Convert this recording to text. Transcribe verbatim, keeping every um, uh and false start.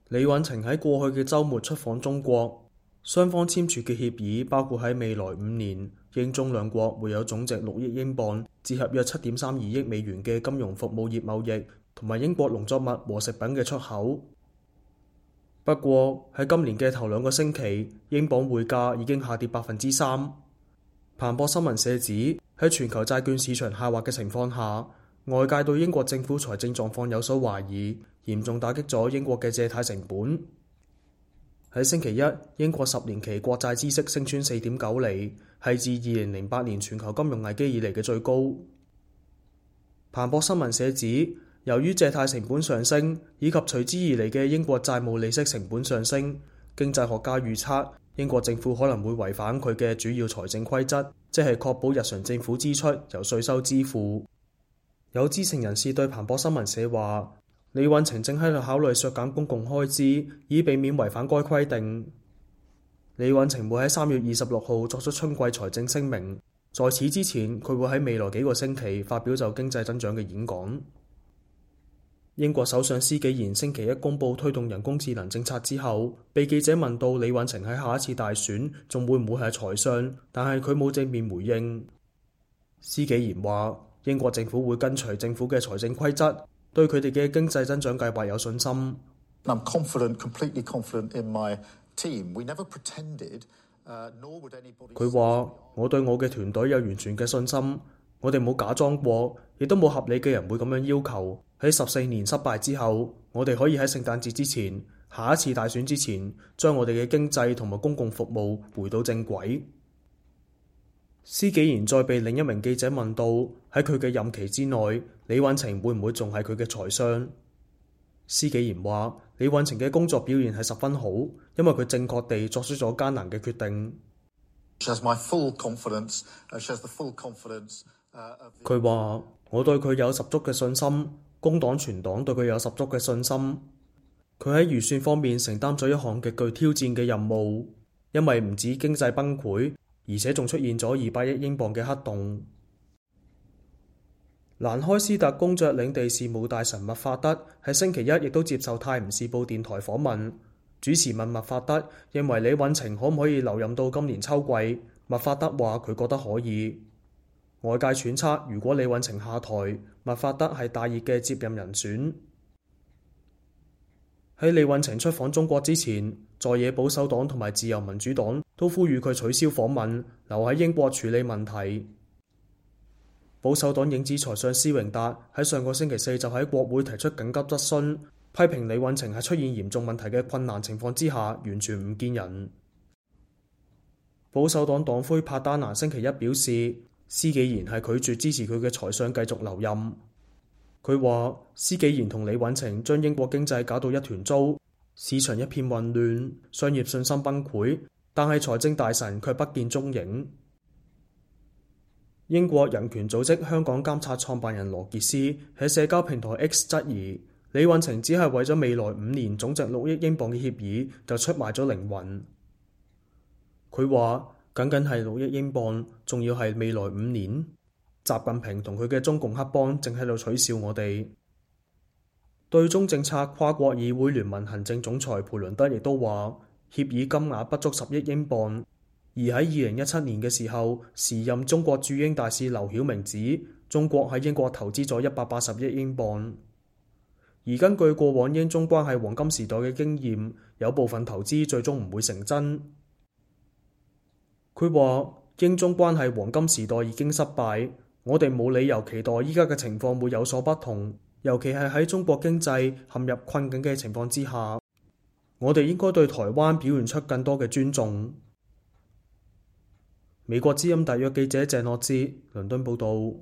李允晴喺過去嘅週末出訪中國，雙方簽署嘅協議包括喺未來五年，英中兩國會有總值六億英鎊，折合約七點三二億美元嘅金融服務業貿易，同埋英國農作物和食品嘅出口。不過喺今年嘅頭兩個星期，英鎊匯價已經下跌百分之三。彭博新聞社指，喺全球債券市場下滑嘅情況下，外界對英國政府財政狀況有所懷疑，嚴重打擊咗英國嘅借貸成本。喺星期一，英國十年期國債孳息升穿四點九厘，係自二零零八年全球金融危機以嚟嘅最高。彭博新聞社指，由於借貸成本上升，以及隨之而嚟嘅英國債務利息成本上升，經濟學家預測英國政府可能會違反佢嘅主要財政規則，即係確保日常政府支出由稅收支付。有知情人士對彭博新聞社話，李允晴正喺度考慮削減公共開支，以避免違反該規定。李允晴會喺三月二十六號作出春季財政聲明，在此之前，佢會喺未來幾個星期發表就經濟增長嘅演講。英國首相施紀賢星期一公布推動人工智能政策之後，被記者問到李允晴喺下一次大選仲會唔會係財相，但係佢冇正面回應。施紀賢話，英國政府會跟隨政府嘅財政規則，對佢哋嘅經濟增長計劃有信心。I'm confident, completely confident in my team. We never pretended, uh, nor would anybody... 佢話，我對我嘅團隊有完全嘅信心，我哋冇假裝過，亦都冇合理嘅人會咁樣要求。喺十四年失敗之後，我哋可以喺聖誕節之前，下一次大選之前，將我哋嘅經濟同埋公共服務回到正軌。施紀賢再被另一名記者問到，喺佢嘅任期之內，李允晴會唔會仲係佢嘅財相？施紀賢話，李允晴嘅工作表現係十分好，因為佢正確地作出咗艱難嘅決定。佢話，我對佢有十足嘅信心。工黨全黨對佢有十足嘅信心，佢喺預算方面承擔咗一項極具挑戰嘅任務，因為唔止經濟崩潰，而且仲出現咗二百億英鎊嘅黑洞。蘭開斯特公爵領地事務大臣麥法德喺星期一亦都接受《泰晤士報》電台訪問，主持問麥法德認為李允晴可唔可以留任到今年秋季，麥法德話佢覺得可以。外界揣測，如果李允晴下台，麥法德係大熱嘅接任人選。喺李允晴出訪中國之前，在野保守黨同埋自由民主黨都呼籲佢取消訪問，留喺英國處理問題。保守黨影子財相施榮達喺上個星期四就喺國會提出緊急質詢，批評李允晴喺出現嚴重問題嘅困難情況之下，完全唔見人。保守黨黨魁帕丹拿星期一表示，施紀賢係拒絕支持佢嘅財相繼續留任。佢話施紀賢同李允晴將英國經濟搞到一團糟，市場一片混亂，商業信心崩潰，但係財政大臣卻不見蹤影。英國人權組織香港監察創辦人羅傑斯喺社交平台 X 質疑李允晴只係為咗未來五年總值六億英鎊嘅協議就出賣咗靈魂。佢話僅僅係六億英鎊，仲要係未來五年。習近平同佢嘅中共黑幫正喺度取笑我哋。對中政策跨國議會聯盟行政總裁培倫德亦都話，協議金額不足十億英鎊。而喺二零一七年嘅時候，時任中國駐英大使劉曉明指，中國喺英國投資咗一百八十億英鎊。而根據過往英中關係黃金時代嘅經驗，有部分投資最終唔會成真。佢話英中關係黃金時代已經失敗，我哋冇理由期待依家嘅情況會有所不同，尤其係喺中國經濟陷入困境嘅情況之下，我哋應該對台灣表現出更多嘅尊重。美國之音特約記者鄭諾之倫敦報道。